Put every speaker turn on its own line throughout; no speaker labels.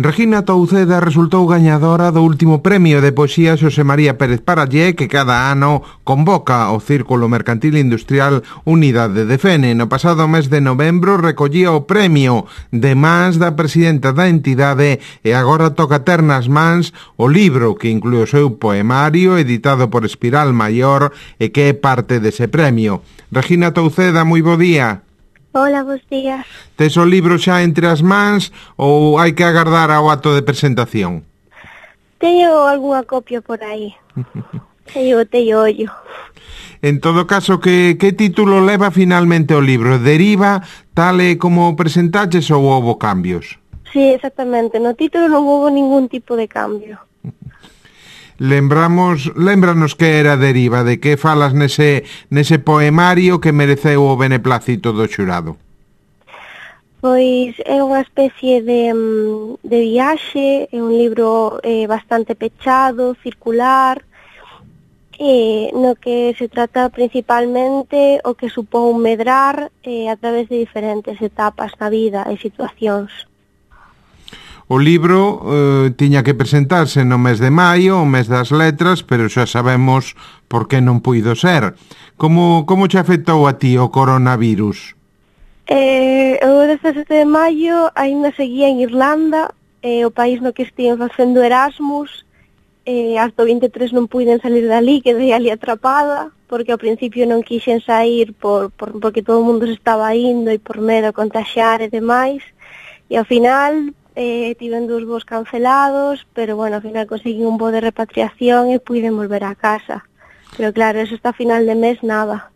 Regina Touceda resultou gañadora do último premio de poesía Xosé María Pérez Parallé que cada ano convoca o Círculo Mercantil Industrial Unidade de Fene. No pasado mes de novembro recollía o premio de mans da presidenta da entidade e agora toca ter nas mans o libro que inclúe o seu poemario editado por Espiral Maior e que é parte dese premio. Regina Touceda, moi bo día.
Hola, bons días.
Tes o libro xa entre as mans ou hai que agardar ao acto de presentación?
Teño algunha copia por aí. Teño ollo.
En todo caso, que título leva finalmente o libro? Deriva tal e como presentaches ou houbo cambios?
Sí, exactamente. No título non houbo ningún tipo de cambio.
Lémbranos que era Deriva, de que falas nese poemario que mereceu o beneplácito do xurado.
Pois é unha especie de viaxe, é un libro bastante pechado, circular, no que se trata principalmente o que supón medrar a través de diferentes etapas na vida e situacións.
O libro tiña que presentarse no mes de maio, o mes das letras, pero xa sabemos por que non puido ser. Como te afectou a ti o coronavirus?
O 17 de maio ainda seguía en Irlanda, o país no que estiven facendo Erasmus, hasta o 23 non puiden salir dali, quedei ali atrapada, porque ao principio non quixen sair porque todo o mundo se estaba indo e por medo a contaxiar e demais, e ao final tiven 2 voos cancelados, pero bueno, ao final conseguí un voo de repatriación e puiden volver a casa. Pero claro, eso hasta final de mes nada.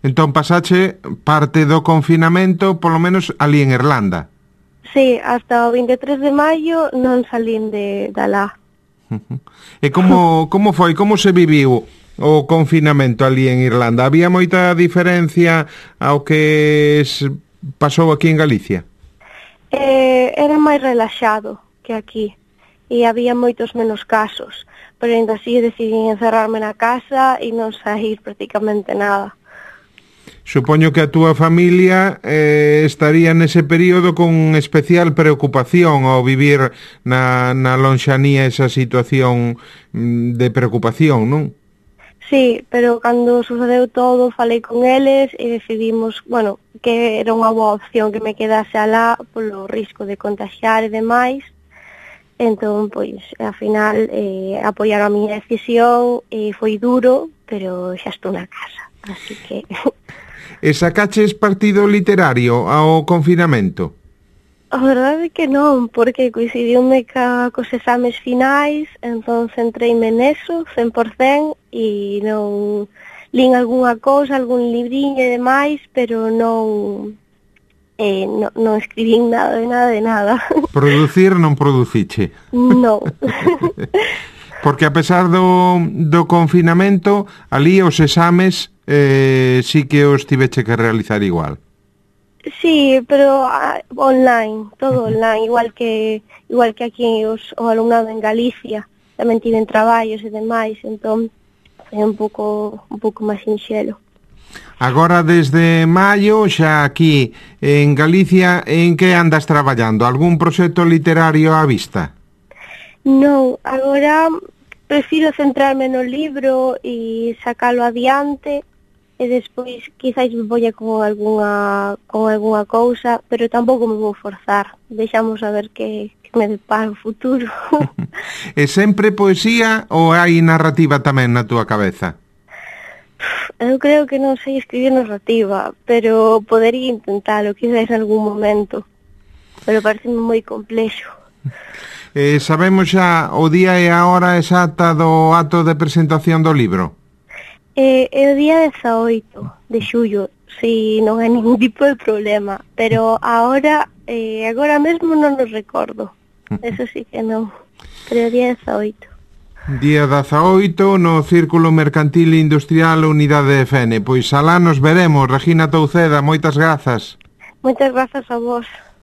Entón pasache parte do confinamento, polo menos ali en Irlanda.
Sí, hasta o 23 de maio non salín de alá.
E como foi, como se viviu o confinamento ali en Irlanda? Había moita diferencia ao que pasou aquí en Galicia?
Era máis relaxado que aquí e había moitos menos casos, pero ainda así decidín encerrarme na casa e non sair prácticamente nada.
Supoño que a túa familia estaría nese período con especial preocupación ao vivir na lonxanía esa situación de preocupación, non?
Sí, pero cando sucedeu todo falei con eles e decidimos, bueno, que era unha boa opción que me quedase alá polo risco de contagiar e demais. Entón, pois, ao final apoiaron a miña decisión e foi duro, pero xa estou na casa, así que...
E sacaches partido literario ao confinamento?
A verdade é que non, porque coincidiume cos exames finais, entón centreime neso, 100%, e non lín algunha cousa, algún libriño e demais, pero non escribín nada de nada.
Producir non produciche?
Non.
Porque a pesar do confinamento, ali os exames sí que os tiveche que realizar igual.
Sí, pero online, todo online, igual que aquí o alumnado en Galicia, tamén tiven traballos e demais, entón é un pouco máis sinxelo.
Agora desde maio, xa aquí en Galicia, en que andas traballando? Algún proxecto literario á vista?
Non, agora prefiro centrarme no libro e sacalo adiante, e despois quizás me voy con algunha cousa, pero tampouco me vou forzar. Deixamos a ver que me depara o futuro.
E sempre poesía ou hai narrativa tamén na túa cabeza?
Eu creo que non sei escribir narrativa, pero podería intentalo quizás en algún momento. Pero pareceme moi complexo.
Sabemos xa o día e a hora exacta do acto de presentación do libro?
É o día 18 de xullo, si non hai ningún tipo de problema, pero agora mesmo non nos recordo, eso sí que non, pero o día 18.
Día 18 no Círculo Mercantil Industrial Unidade de Fene, pois alá nos veremos. Regina Touceda, moitas grazas.
Moitas grazas a vos.